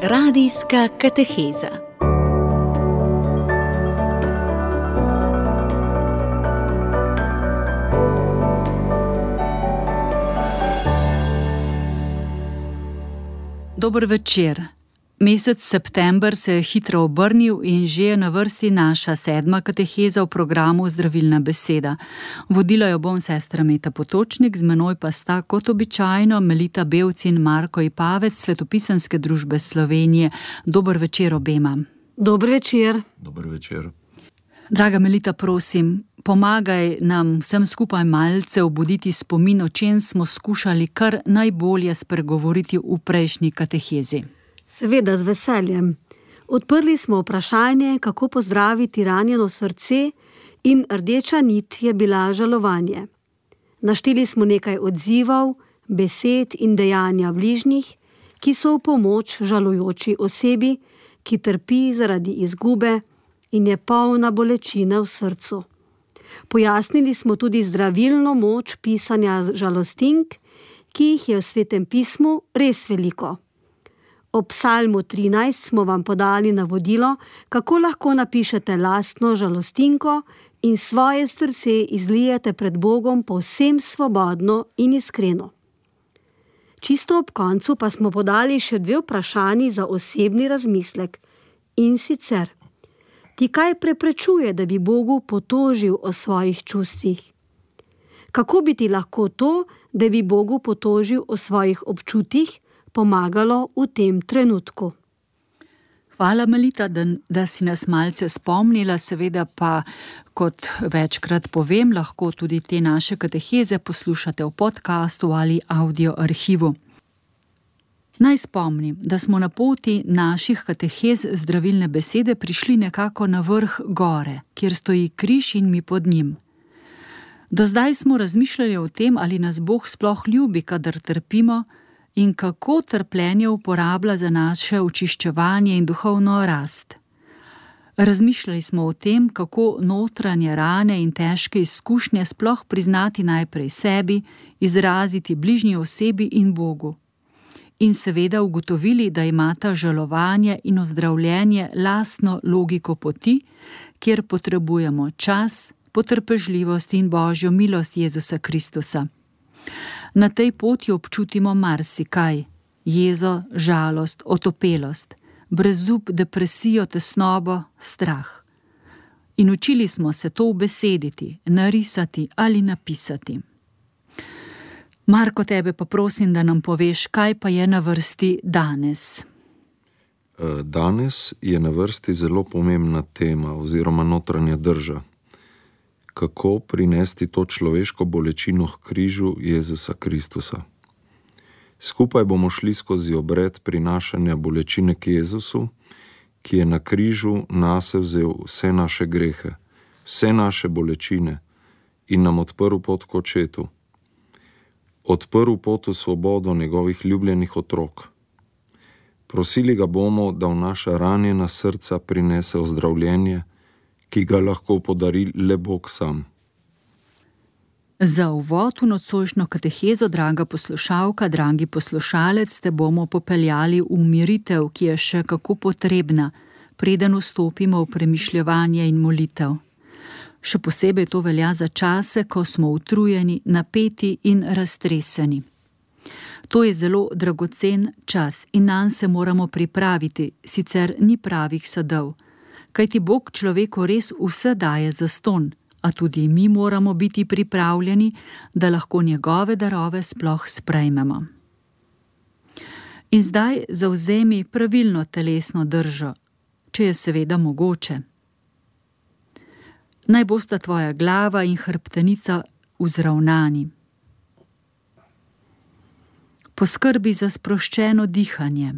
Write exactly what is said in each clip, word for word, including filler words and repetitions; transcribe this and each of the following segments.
Radijska kateheza. Dober večer. Mesec september se je hitro obrnil in že je na vrsti naša sedma kateheza v programu Zdravilna beseda. Vodila jo bom sestra Meta Potočnik, z menoj pa sta kot običajno Melita Bevc in Marko Ipavec, Svetopisemske družbe Slovenije. Dober večer obema. Dober večer. Dober večer. Draga Melita, prosim, pomagaj nam vsem skupaj malce obuditi spomin, o čem smo skušali kar najbolje spregovoriti v prejšnji katehezi. Seveda, z veseljem. Odprli smo vprašanje, kako pozdraviti ranjeno srce, in rdeča nit je bila žalovanje. Našteli smo nekaj odzivov, besed in dejanja bližnjih, ki so v pomoč žalujoči osebi, ki trpi zaradi izgube in je polna bolečine v srcu. Pojasnili smo tudi zdravilno moč pisanja žalostink, ki jih je v Svetem pismu res veliko. Ob Psalmu trinajst smo vam podali navodilo, kako lahko napišete lastno žalostinko in svoje srce izlijete pred Bogom povsem svobodno in iskreno. Čisto ob koncu pa smo podali še dve vprašanji za osebni razmislek. In sicer, ti kaj preprečuje, da bi Bogu potožil o svojih čustvih? Kako bi ti lahko to, da bi Bogu potožil o svojih občutjih, pomagalo v tem trenutku? Hvala, Melita, da, da si nas malce spomnila, seveda pa, kot večkrat povem, lahko tudi te naše kateheze poslušate v podcastu ali audio arhivu. Naj spomnim, da smo na poti naših katehez Zdravilne besede prišli nekako na vrh gore, kjer stoji križ in mi pod njim. Do zdaj smo razmišljali o tem, ali nas Bog sploh ljubi, kadar trpimo, in kako trpljenje uporablja za naše očiščevanje in duhovno rast. Razmišljali smo o tem, kako notranje rane in težke izkušnje sploh priznati najprej sebi, izraziti bližnji osebi in Bogu. In seveda ugotovili, da imata žalovanje in ozdravljenje lastno logiko poti, kjer potrebujemo čas, potrpežljivost in Božjo milost Jezusa Kristusa. Na tej poti občutimo marsikaj: jezo, žalost, otopelost, brezup, depresijo, tesnobo, strah. In učili smo se to ubesediti, narisati ali napisati. Marko, tebe pa prosim, da nam poveš, kaj pa je na vrsti danes. Danes je na vrsti zelo pomembna tema oziroma notranja drža. Kako prinesti to človeško bolečino k križu Jezusa Kristusa. Skupaj bomo šli skozi obred prinašanja bolečine k Jezusu, ki je na križu nase vzel vse naše grehe, vse naše bolečine in nam odprl pot k Očetu. Odprl pot v svobodo njegovih ljubljenih otrok. Prosili ga bomo, da v naša ranjena srca prinese ozdravljenje, ki ga lahko podari le Bog sam. Za uvod v nocojšnjo katehezo, draga poslušalka, dragi poslušalec, te bomo popeljali v umiritev, ki je še kako potrebna, preden vstopimo v premišljevanje in molitev. Še posebej to velja za čase, ko smo utrujeni, napeti in raztreseni. To je zelo dragocen čas in nanj se moramo pripraviti, sicer ni pravih sadov. Kajti Bog človeku res vse daje zastonj, a tudi mi moramo biti pripravljeni, da lahko njegove darove sploh sprejmemo. In zdaj zavzemi pravilno telesno držo, če je seveda mogoče. Naj bosta tvoja glava in hrbtenica vzravnani. Poskrbi za sproščeno dihanje.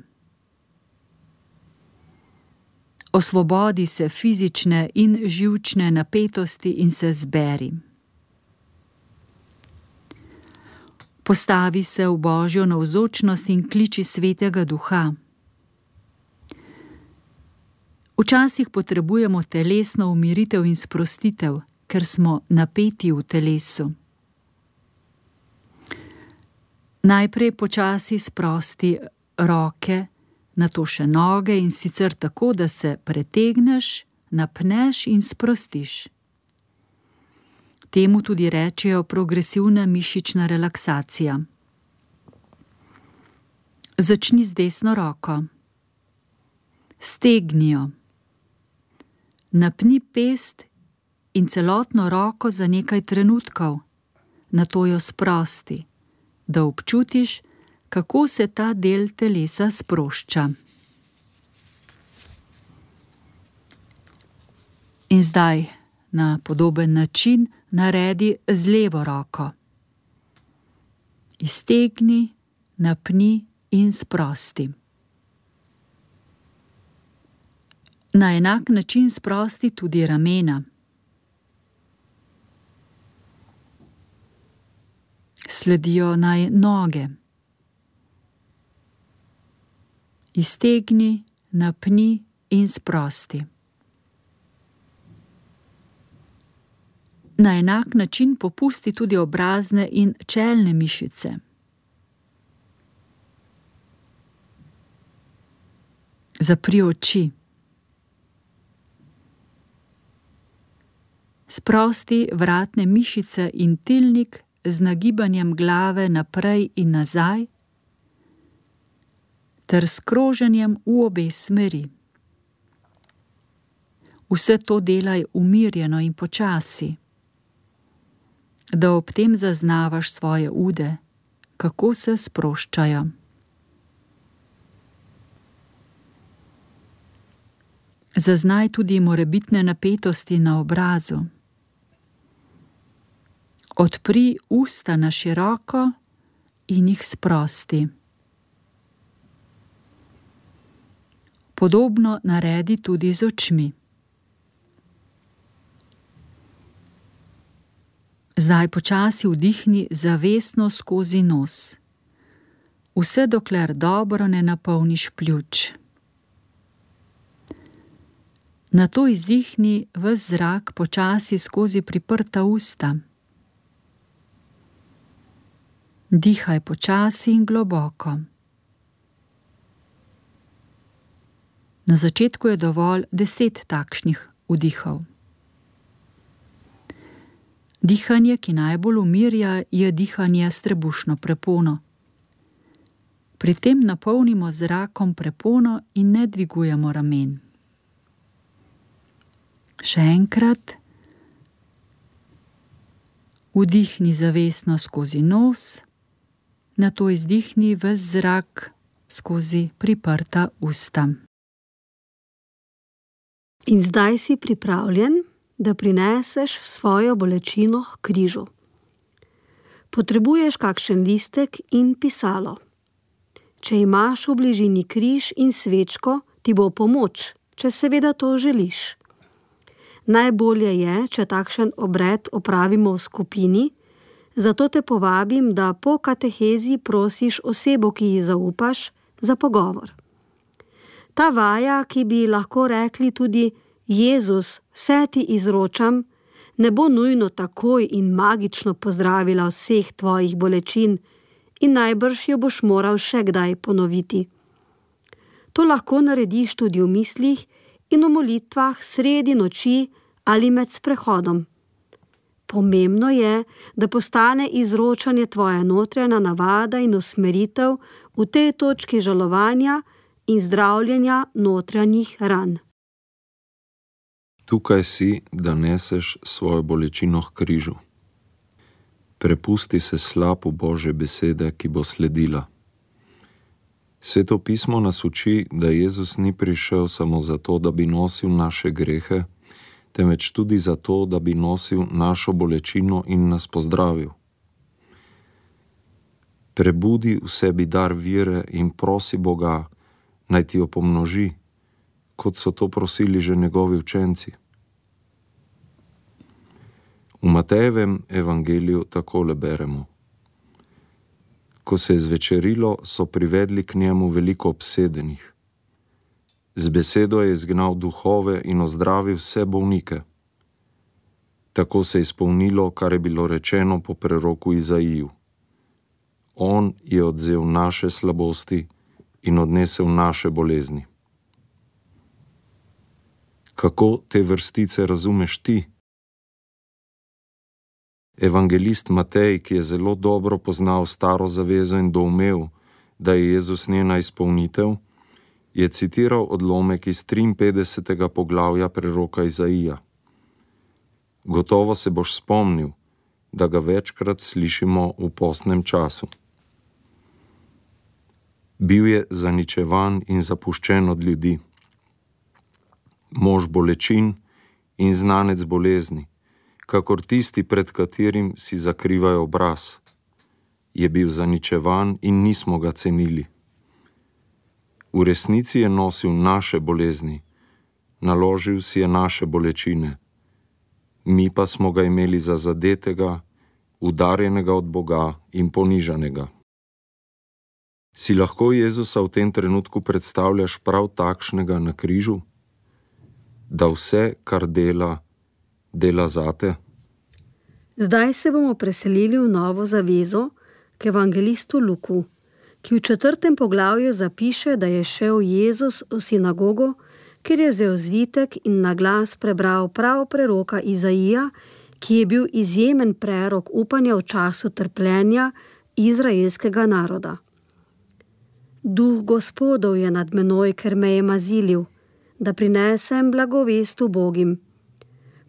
Osvobodi se fizične in živčne napetosti in se zberi. Postavi se v Božjo navzočnost in kliči Svetega Duha. Včasih potrebujemo telesno umiritev in sprostitev, ker smo napeti v telesu. Najprej počasi sprosti roke, nato še noge in sicer tako, da se pretegneš, napneš in sprostiš. Temu tudi rečejo progresivna mišična relaksacija. Začni z desno roko. Stegni jo. Napni pest in celotno roko za nekaj trenutkov, nato jo sprosti, da občutiš, kako se ta del telesa sprošča. In zdaj na podoben način naredi z levo roko. Iztegni, napni in sprosti. Na enak način sprosti tudi ramena. Sledijo naj noge. Iztegni, napni in sprosti. Na enak način popusti tudi obrazne in čelne mišice. Zapri oči. Sprosti vratne mišice in tilnik z nagibanjem glave naprej in nazaj ter s kroženjem v obe smeri. Vse to delaj umirjeno in počasi, da ob tem zaznavaš svoje ude, kako se sproščajo. Zaznaj tudi morebitne napetosti na obrazu. Odpri usta na široko in jih sprosti. Podobno naredi tudi z očmi. Zdaj počasi vdihni zavestno skozi nos, vse dokler dobro ne napolniš pljuč. Nato izdihni ves zrak počasi skozi priprta usta. Dihaj počasi in globoko. Na začetku je dovolj deset takšnih vdihov. Dihanje, ki najbolj umirja, je dihanje s trebušno prepono. Pri tem napolnimo z zrakom prepono in ne dvigujemo ramen. Še enkrat. Vdihni zavestno skozi nos, nato izdihni ves zrak skozi priprta usta. In zdaj si pripravljen, da prineseš svojo bolečino k križu. Potrebuješ kakšen listek in pisalo. Če imaš v bližini križ in svečko, ti bo pomoč, če seveda to želiš. Najbolje je, če takšen obred opravimo v skupini, zato te povabim, da po katehezi prosiš osebo, ki ji zaupaš, za pogovor. Ta vaja, ki bi lahko rekli tudi Jezus, vse ti izročam, ne bo nujno takoj in magično pozdravila vseh tvojih bolečin in najbrž jo boš moral še kdaj ponoviti. To lahko narediš tudi v mislih in v molitvah sredi noči ali med sprehodom. Pomembno je, da postane izročanje tvoja notranja navada in usmeritev v tej točki žalovanja in zdravljenja notranjih ran. Tukaj si, da neseš svojo bolečino k križu. Prepusti se slapu Božje besede, ki bo sledila. Sveto pismo nas uči, da Jezus ni prišel samo zato, da bi nosil naše grehe, temveč tudi zato, da bi nosil našo bolečino in nas pozdravil. Prebudi v sebi dar vere in prosi Boga, naj ti jo pomnoži, kot so to prosili že njegovi učenci. V Matejevem evangeliju takole beremo. Ko se je zvečerilo, so privedli k njemu veliko obsedenih. Z besedo je izgnal duhove in ozdravil vse bolnike. Tako se je izpolnilo, kar je bilo rečeno po preroku Izaiju. On je odvzel naše slabosti in odnesel naše bolezni. Kako te vrstice razumeš ti? Evangelist Matej, ki je zelo dobro poznal staro zavezo in doumel, da je Jezus njena izpolnitev, je citiral odlomek iz triinpetdesetega poglavja preroka Izaija. Gotovo se boš spomnil, da ga večkrat slišimo v postnem času. Bil je zaničevan in zapuščen od ljudi. Mož bolečin in znanec bolezni, kakor tisti, pred katerim si zakrivajo obraz. Je bil zaničevan in nismo ga cenili. V resnici je nosil naše bolezni, naložil si je naše bolečine. Mi pa smo ga imeli za zadetega, udarjenega od Boga in ponižanega. Si lahko Jezusa v tem trenutku predstavljaš prav takšnega na križu? Da vse, kar dela, dela zate? Zdaj se bomo preselili v Novo zavezo k evangelistu Luku, ki v četrtem poglavju zapiše, da je šel Jezus v sinagogo, ker je vzel zvitek in na glas prebral prav preroka Izaija, ki je bil izjemen prerok upanja v času trpljenja izraelskega naroda. Duh Gospodov je nad menoj, ker me je mazilil, da prinesem blagovest ubogim.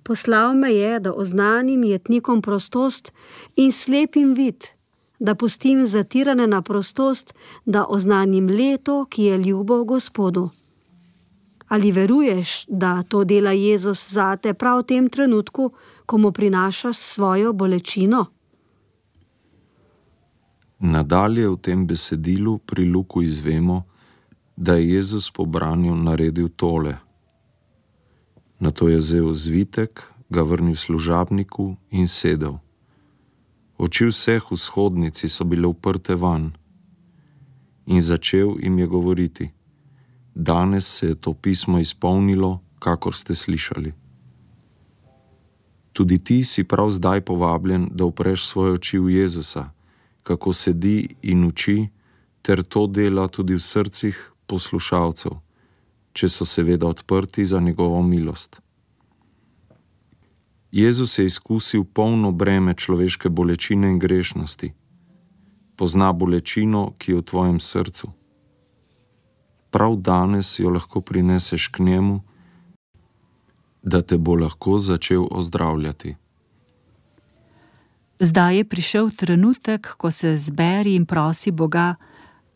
Poslal me je, da oznanim jetnikom prostost in slepim vid, da pustim zatirane na prostost, da oznanim leto, ki je ljubo Gospodu. Ali veruješ, da to dela Jezus zate prav v tem trenutku, ko mu prinašaš svojo bolečino? Nadalje v tem besedilu pri Luku izvemo, da je Jezus po branju naredil tole. Nato je vzel zvitek, ga vrnil služabniku in sedel. Oči vseh v shodnici so bile uprte van in začel jim je govoriti: danes se je to pismo izpolnilo, kakor ste slišali. Tudi ti si prav zdaj povabljen, da upreš svoje oči v Jezusa, kako sedi in uči, ter to dela tudi v srcih poslušalcev, če so seveda odprti za njegovo milost. Jezus je izkusil polno breme človeške bolečine in grešnosti. Pozna bolečino, ki je v tvojem srcu. Prav danes jo lahko prineseš k njemu, da te bo lahko začel ozdravljati. Zdaj je prišel trenutek, ko se zberi in prosi Boga,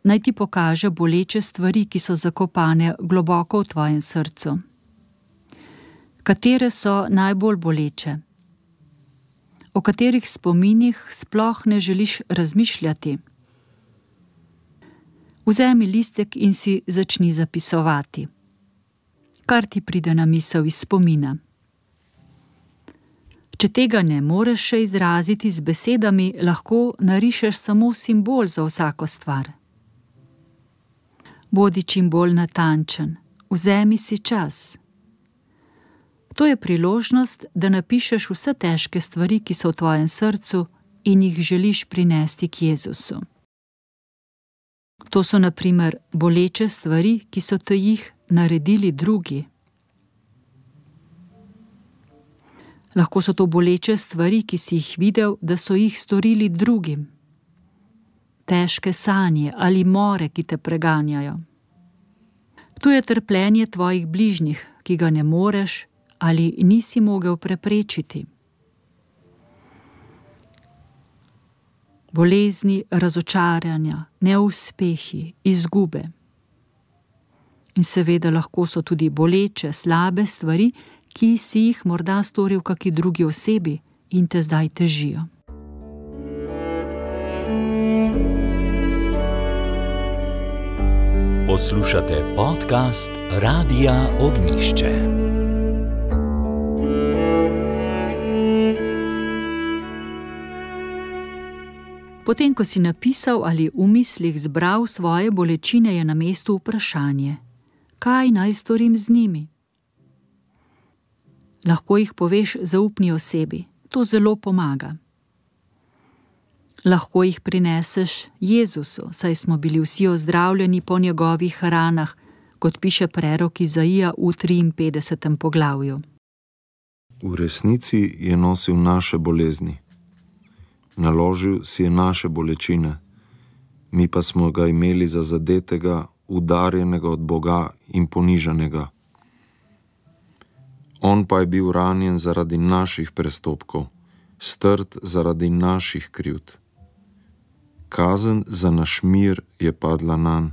naj ti pokaže boleče stvari, ki so zakopane globoko v tvojem srcu. Katere so najbolj boleče? O katerih spominih sploh ne želiš razmišljati? Vzemi listek in si začni zapisovati. Kar ti pride na misel iz spomina. Če tega ne moreš še izraziti z besedami, lahko narišeš samo simbol za vsako stvar. Bodi čim bolj natančen, vzemi si čas. To je priložnost, da napišeš vse težke stvari, ki so v tvojem srcu in jih želiš prinesti k Jezusu. To so na primer boleče stvari, ki so te jih naredili drugi. Lahko so to boleče stvari, ki si jih videl, da so jih storili drugim. Težke sanje ali more, ki te preganjajo. Tu je trpljenje tvojih bližnjih, ki ga ne moreš ali nisi mogel preprečiti. Bolezni, razočaranja, neuspehi, izgube. In seveda lahko so tudi boleče, slabe stvari, ki si jih morda storil kaki drugi osebi in te zdaj težijo. Poslušate podcast Radia Ognjišče. Potem, ko si napisal ali v mislih zbral svoje bolečine, je na mestu vprašanje: kaj naj storim z njimi? Lahko jih poveš zaupni osebi, to zelo pomaga. Lahko jih prineseš Jezusu, saj smo bili vsi ozdravljeni po njegovih ranah, kot piše prerok Izaija v triinpetdesetem poglavju. V resnici je nosil naše bolezni. Naložil si je naše bolečine, mi pa smo ga imeli za zadetega, udarjenega od Boga in ponižanega. On pa je bil ranjen zaradi naših prestopkov, strt zaradi naših krivd. Kazen za naš mir je padla nanj.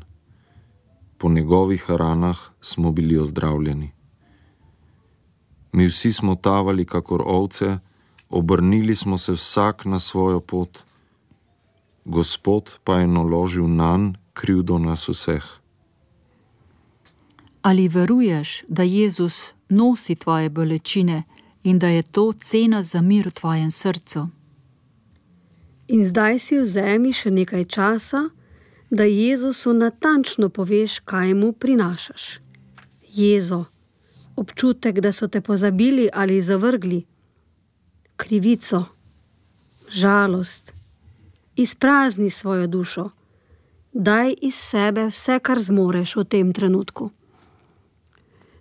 Po njegovih ranah smo bili ozdravljeni. Mi vsi smo tavali kakor ovce, obrnili smo se vsak na svojo pot. Gospod pa je naložil nanj krivdo nas vseh. Ali veruješ, da Jezus nosi tvoje bolečine in da je to cena za mir v tvojem srcu? In zdaj si vzemi še nekaj časa, da Jezusu natančno poveš, kaj mu prinašaš. Jezo, občutek, da so te pozabili ali zavrgli, krivico, žalost. Izprazni svojo dušo. Daj iz sebe vse, kar zmoreš v tem trenutku.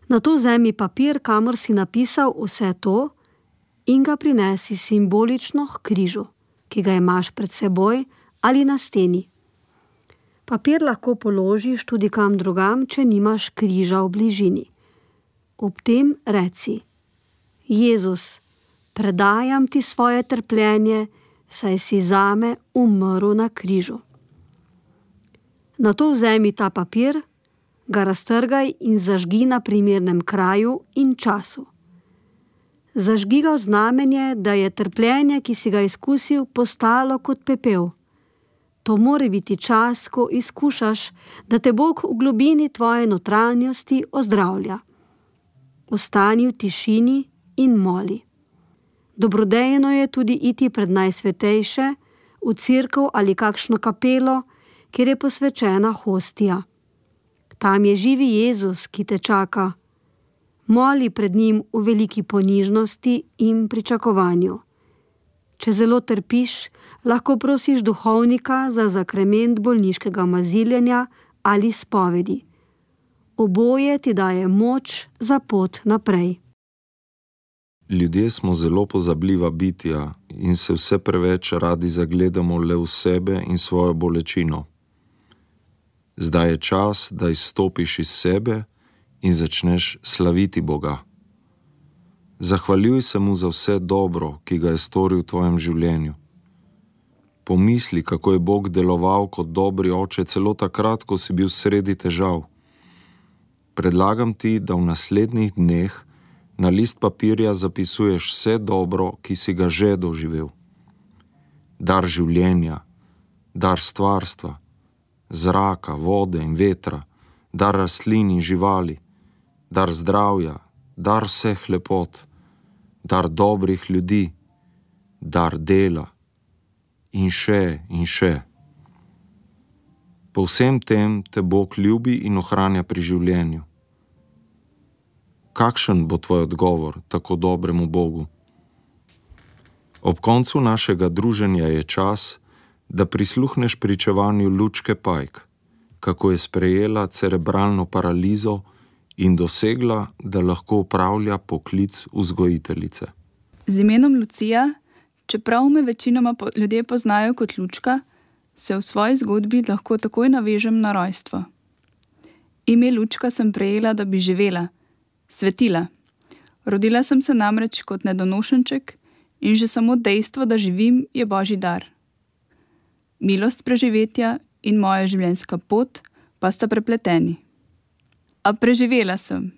Nato vzemi papir, kamor si napisal vse to, in ga prinesi simbolično k križu, ki ga imaš pred seboj ali na steni. Papir lahko položiš tudi kam drugam, če nimaš križa v bližini. Ob tem reci: Jezus, predajam ti svoje trpljenje, saj si zame umrl na križu. Nato vzemi ta papir, ga raztrgaj in zažgi na primernem kraju in času. Zažgi ga v znamenje, da je trpljenje, ki si ga izkusil, postalo kot pepel. To mora biti čas, ko izkušaš, da te Bog v globini tvoje notranjosti ozdravlja. Ostani v tišini in moli. Dobrodejno je tudi iti pred najsvetejše, v cerkev ali kakšno kapelo, kjer je posvečena hostija. Tam je živi Jezus, ki te čaka. Moli pred njim v veliki ponižnosti in pričakovanju. Če zelo trpiš, lahko prosiš duhovnika za zakrament bolniškega maziljenja ali spovedi. Oboje ti daje moč za pot naprej. Ljudje smo zelo pozabljiva bitja in se vse preveč radi zagledamo le v sebe in svojo bolečino. Zdaj je čas, da izstopiš iz sebe in začneš slaviti Boga. Zahvaljuj se mu za vse dobro, ki ga je storil v tvojem življenju. Pomisli, kako je Bog deloval kot dobri oče celo takrat, ko si bil sredi težav. Predlagam ti, da v naslednjih dneh na list papirja zapisuješ vse dobro, ki si ga že doživel. Dar življenja, dar stvarstva, zraka, vode in vetra, dar rastlin in živali, dar zdravja, dar vseh lepot, dar dobrih ljudi, dar dela in še in še. Po vsem tem te Bog ljubi in ohranja pri življenju. Kakšen bo tvoj odgovor tako dobremu Bogu? Ob koncu našega druženja je čas, da prisluhneš pričevanju Lučke Pajk, kako je sprejela cerebralno paralizo in dosegla, da lahko opravlja poklic vzgojiteljice. Z imenom Lucija, čeprav me večinoma ljudje poznajo kot Lučka, se v svoji zgodbi lahko takoj navežem na rojstvo. Ime Lučka sem prejela, da bi živela, svetila. Rodila sem se namreč kot nedonošenček in že samo dejstvo, da živim, je Božji dar. Milost preživetja in moja življenjska pot pa sta prepleteni. A preživela sem.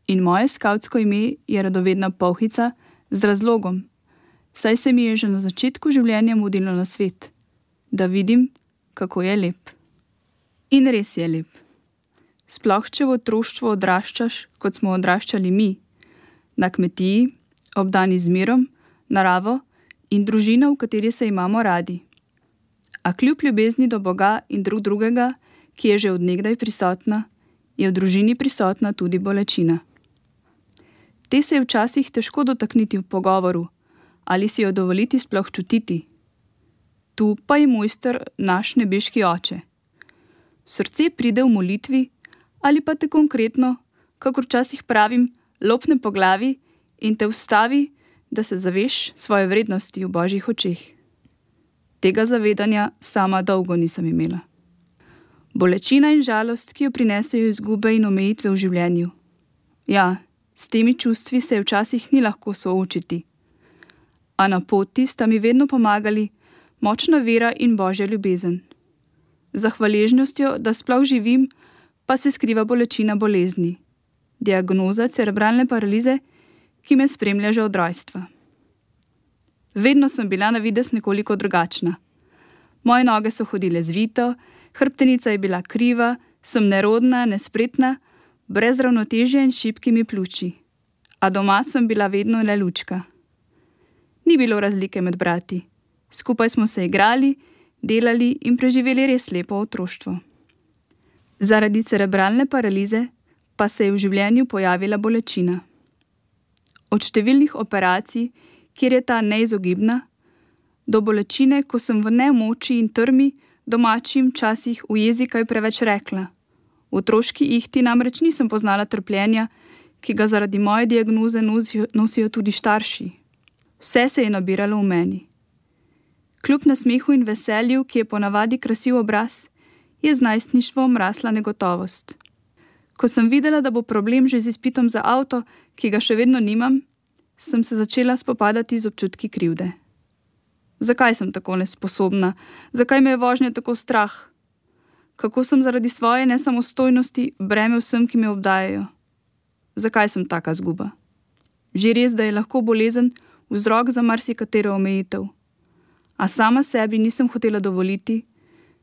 In moje skavtsko ime je radovedna Polhica z razlogom, saj se mi je že na začetku življenja mudilo na svet, da vidim, kako je lep. In res je lep. Sploh, če v otroštvu odraščaš, kot smo odraščali mi, na kmetiji, obdani z mirom, naravo in družina, v kateri se imamo radi. A kljub ljubezni do Boga in drug drugega, ki je že od nekdaj prisotna, je v družini prisotna tudi bolečina. Te se je včasih težko dotakniti v pogovoru ali si jo dovoliti sploh čutiti. tu pa je mojster naš nebeški oče. Srce pride v molitvi ali pa te konkretno, kakor včasih pravim, lopne po glavi in te ustavi, da se zaveš svoje vrednosti v Božjih očeh. Tega zavedanja sama dolgo nisem imela. Bolečina in žalost, ki jo prinesejo izgube in omejitve v življenju. Ja, s temi čustvi se včasih ni lahko soočiti. A na poti sta mi vedno pomagali močna vera in Božja ljubezen. Za hvaležnostjo, da sploh živim, pa se skriva bolečina bolezni. Diagnoza cerebralne paralize, ki me spremlja že od rojstva. Vedno sem bila na videz nekoliko drugačna. Moje noge so hodile zvito, hrbtenica je bila kriva, sem nerodna, nespretna, brez ravnotežja in šibkimi pljuči. A doma sem bila vedno le lučka. Ni bilo razlike med brati. Skupaj smo se igrali, delali in preživeli res lepo otroštvo. Zaradi cerebralne paralize pa se je v življenju pojavila bolečina. Od številnih operacij, kjer je ta neizogibna, do bolečine, ko sem v nemoči in trmi domačim časih v jezi kaj preveč rekla. V otroški ihti namreč nisem poznala trpljenja, ki ga zaradi moje diagnoze nosijo, nosijo tudi starši. Vse se je nabiralo v meni. Kljub nasmehu in veselju, ki je ponavadi krasil obraz, je z najstništvom rasla negotovost. Ko sem videla, da bo problem že z izpitom za avto, ki ga še vedno nimam, sem se začela spopadati z občutki krivde. Zakaj sem tako nesposobna? Zakaj me je vožnja tako strah? Kako sem zaradi svoje nesamostojnosti breme vsem, ki me obdajajo? Zakaj sem taka zguba? Že res, da je lahko bolezen vzrok za marsikatero omejitev. A sama sebi nisem hotela dovoliti,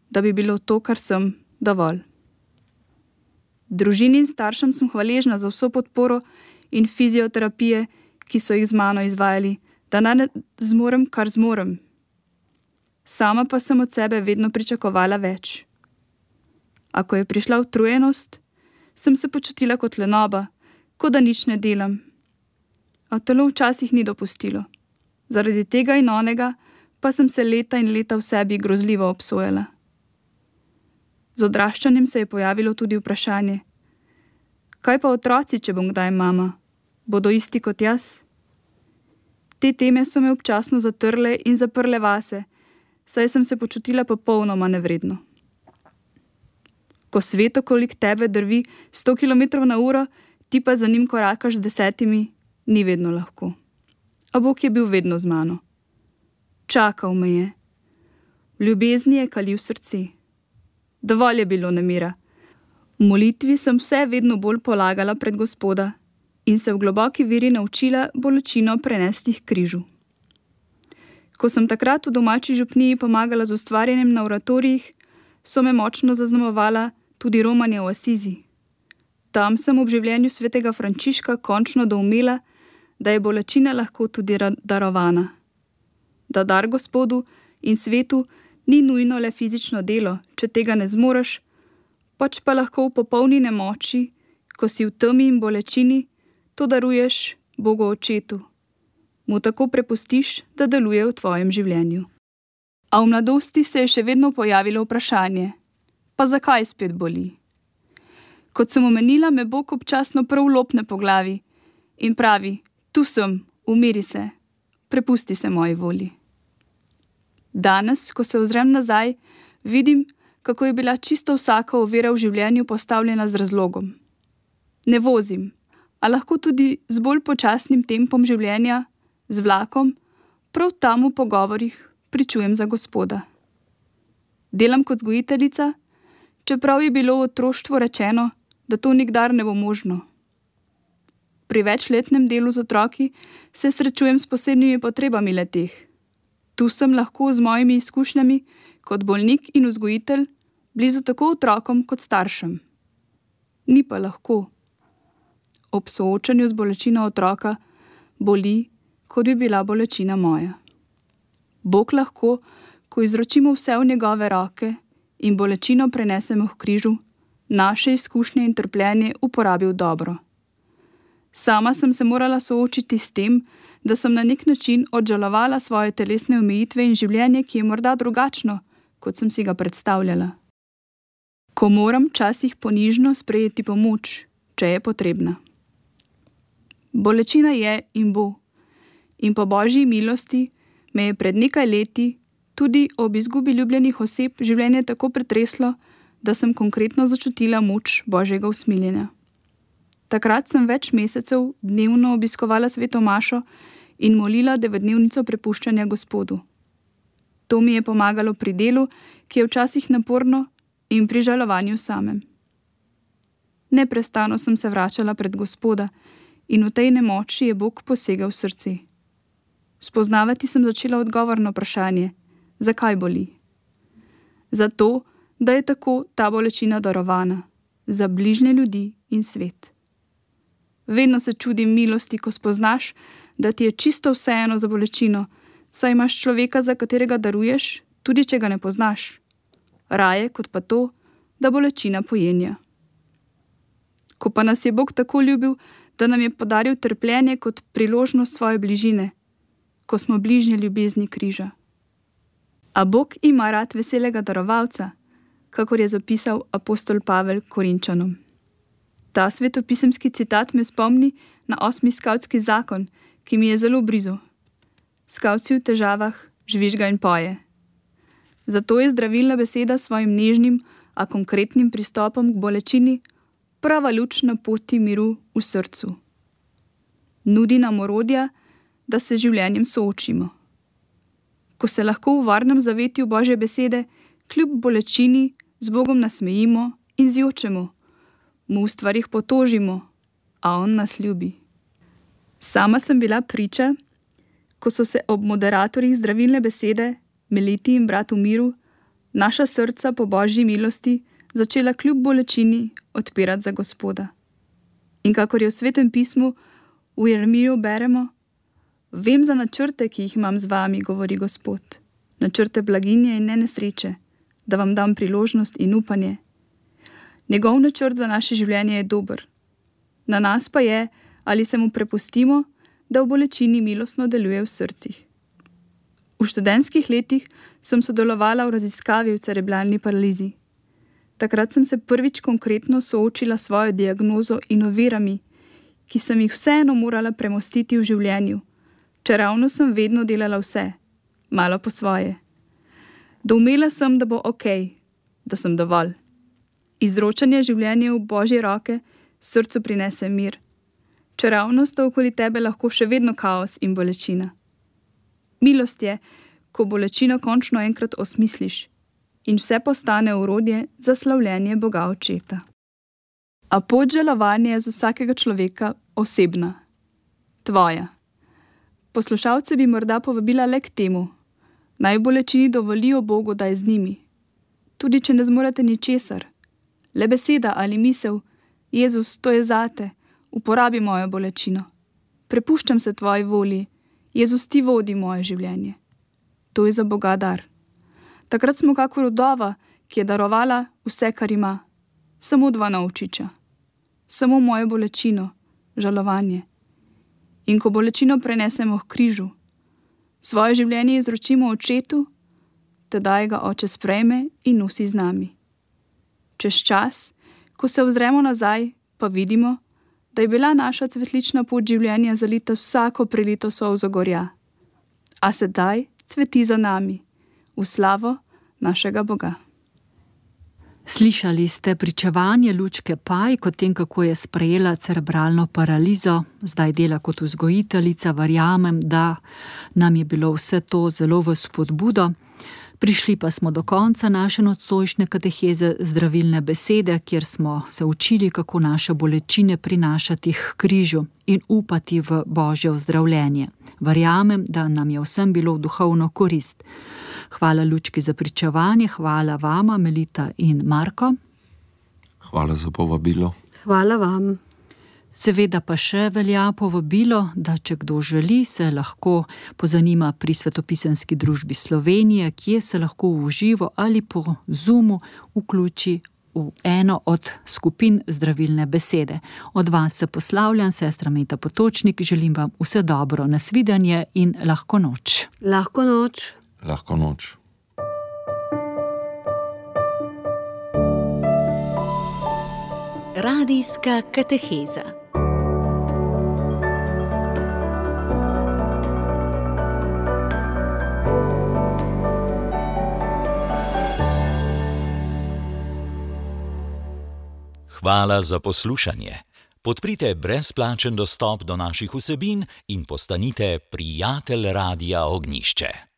da bi bilo to, kar sem, dovolj. Družini in staršem sem hvaležna za vso podporo in fizioterapije, ki so jih z mano izvajali, da ne zmorem, kar zmorem. Sama pa sem od sebe vedno pričakovala več. A ko je prišla utrujenost, sem se počutila kot lenoba, kot da nič ne delam. A telo včasih ni dopustilo. Zaradi tega in onega pa sem se leta in leta v sebi grozljivo obsojala. Z odraščanjem se je pojavilo tudi vprašanje: kaj pa otroci, če bom kdaj mama? Bodo isti kot jaz? Te teme so me občasno zatrle in zaprle vase, saj sem se počutila popolnoma nevredno. Ko svet okolik tebe drvi sto kilometrov na uro, ti pa za njim korakaš z desetimi, ni vedno lahko. A Bog je bil vedno z mano. Čakal me je. V ljubezni je kalil srce. Dovolj je bilo nemira. V molitvi sem vse vedno bolj polagala pred Gospoda in se v globoki veri naučila bolečino prenesti k križu. Ko sem takrat v domači župniji pomagala z ustvarjanjem na oratorijih, so me močno zaznamovala tudi romanja v Asizi. Tam sem ob življenju svetega Frančiška končno doumela, da je bolečina lahko tudi darovana. Da dar Gospodu in svetu ni nujno le fizično delo, če tega ne zmoreš, pač pa lahko v popolni nemoči, ko si v temi in bolečini, to daruješ Bogu Očetu. Mu tako prepustiš, da deluje v tvojem življenju. A v mladosti se je še vedno pojavilo vprašanje: pa zakaj spet boli? Kot sem omenila, me Bog občasno prav lopne po glavi in pravi: tu sem, umiri se, prepusti se moji volji. Danes, ko se ozrem nazaj, vidim, kako je bila čisto vsaka ovira v življenju postavljena z razlogom. Ne vozim, a lahko tudi z bolj počasnim tempom življenja, z vlakom, prav tam v pogovorih pričujem za Gospoda. Delam kot vzgojiteljica, čeprav je bilo v otroštvu rečeno, da to nikdar ne bo možno. Pri večletnem delu z otroki se srečujem s posebnimi potrebami le-teh. Tu sem lahko z mojimi izkušnjami kot bolnik in vzgojitelj blizu tako otrokom kot staršem. Ni pa lahko. Ob soočanju z bolečino otroka boli, kot bi bila bolečina moja. Bog lahko, ko izročimo vse v njegove roke in bolečino prenesemo k križu, naše izkušnje in trpljenje uporabil dobro. Sama sem se morala soočiti s tem, da sem na nek način odžalovala svoje telesne omejitve in življenje, ki je morda drugačno, kot sem si ga predstavljala. Ko moram včasih ponižno sprejeti pomoč, če je potrebna. Bolečina je in bo. In po Božji milosti me je pred nekaj leti tudi ob izgubi ljubljenih oseb življenje tako pretreslo, da sem konkretno začutila moč Božjega usmiljenja. Takrat sem več mesecev dnevno obiskovala sveto mašo in molila devetdnevnico prepuščanja Gospodu. To mi je pomagalo pri delu, ki je včasih naporno, in pri žalovanju samem. Neprestano sem se vračala pred Gospoda in v tej nemoči je Bog posegel v srce. Spoznavati sem začela odgovor na vprašanje, zakaj boli. Zato, da je tako ta bolečina darovana, za bližnje ljudi in svet. Vedno se čudim milosti, ko spoznaš, da ti je čisto vseeno za bolečino, saj imaš človeka, za katerega daruješ, tudi če ga ne poznaš. Raje kot pa to, da bolečina pojenja. Ko pa nas je Bog tako ljubil, da nam je podaril trpljenje kot priložnost svoje bližine, ko smo bližnje ljubezni križa. A Bog ima rad veselega darovalca, kakor je zapisal apostol Pavel Korinčanom. Ta svetopisemski citat me spomni na osmi skavtski zakon, ki mi je zelo blizu. Skavtci v težavah žvižga in poje. Zato je zdravilna beseda s svojim nežnim, a konkretnim pristopom k bolečini prava luč na poti miru v srcu. Nudi nam orodja, da se življenjem soočimo. Ko se lahko v varnem zavetju Božje besede kljub bolečini z Bogom nasmejimo in zjočemo, mu v stvarih potožimo, a on nas ljubi. Sama sem bila priča, ko so se ob moderatorjih zdravilne besede, Meliti in bratu Miru, naša srca po Božji milosti začela kljub bolečini odpirati za Gospoda. In kakor je v Svetem pismu v Jeremiju beremo, vem za načrte, ki jih imam z vami, govori Gospod, načrte blaginje in ne nesreče, da vam dam priložnost in upanje. Njegov načrt za naše življenje je dober. Na nas pa je, ali se mu prepustimo, da v bolečini milostno deluje v srcih. V študentskih letih sem sodelovala v raziskavi v cerebralni paralizi. Takrat sem se prvič konkretno soočila s svojo diagnozo in ovirami, ki sem jih vseeno morala premostiti v življenju, čeravno sem vedno delala vse, malo po svoje. Doumela sem, da bo okej, da sem dovolj. Izročanje življenja v Božje roke srcu prinese mir, čeravno sta okoli tebe lahko še vedno kaos in bolečina. Milost je, ko bolečino končno enkrat osmisliš in vse postane orodje za slavljenje Boga Očeta. A pot žalovanja je z vsakega človeka osebna, tvoja. Poslušalce bi morda povabila le k temu, naj bolečini dovolijo Bogu, da je z njimi. Tudi če ne zmorete ničesar, le beseda ali misel, Jezus, to je zate, uporabi mojo bolečino. Prepuščam se tvoji volji, Jezus, ti vodi moje življenje. To je za Boga dar. Takrat smo kakor vdova, ki je darovala vse, kar ima. Samo dva novčiča. Samo mojo bolečino, žalovanje. In ko bolečino prenesemo k križu, svoje življenje izročimo Očetu, tedaj ga Oče sprejme in nosi z nami. Čez čas, ko se ozremo nazaj, pa vidimo, da je bila naša cvetlična pot življenja zalita vsako prelito solzo gorja. A sedaj cveti za nami, v slavo našega Boga. Slišali ste pričevanje Lučke Paj o tem, kako je sprejela cerebralno paralizo, zdaj dela kot vzgojiteljica, verjamem, da nam je bilo vse to zelo v spodbudo. Prišli pa smo do konca naše nocojšnje kateheze zdravilne besede, kjer smo se učili, kako naše bolečine prinašati k križu in upati v Božje ozdravljenje. Verjamem, da nam je vsem bilo v duhovno korist. Hvala Lučki za pričevanje, hvala vama, Melita in Marko. Hvala za povabilo. Hvala vam. Seveda pa še velja povabilo, da če kdo želi, se lahko pozanima pri Svetopisemski družbi Slovenije, kje se lahko v živo ali po Zoomu vključi v eno od skupin zdravilne besede. Od vas se poslavljam, sestra Meta Potočnik, želim vam vse dobro, nasvidenje in lahko noč. Lahko noč. Lahko noč. Radijska kateheza. Hvala za poslušanje. Podprite brezplačen dostop do naših vsebin in postanite prijatelj Radia Ognjišče.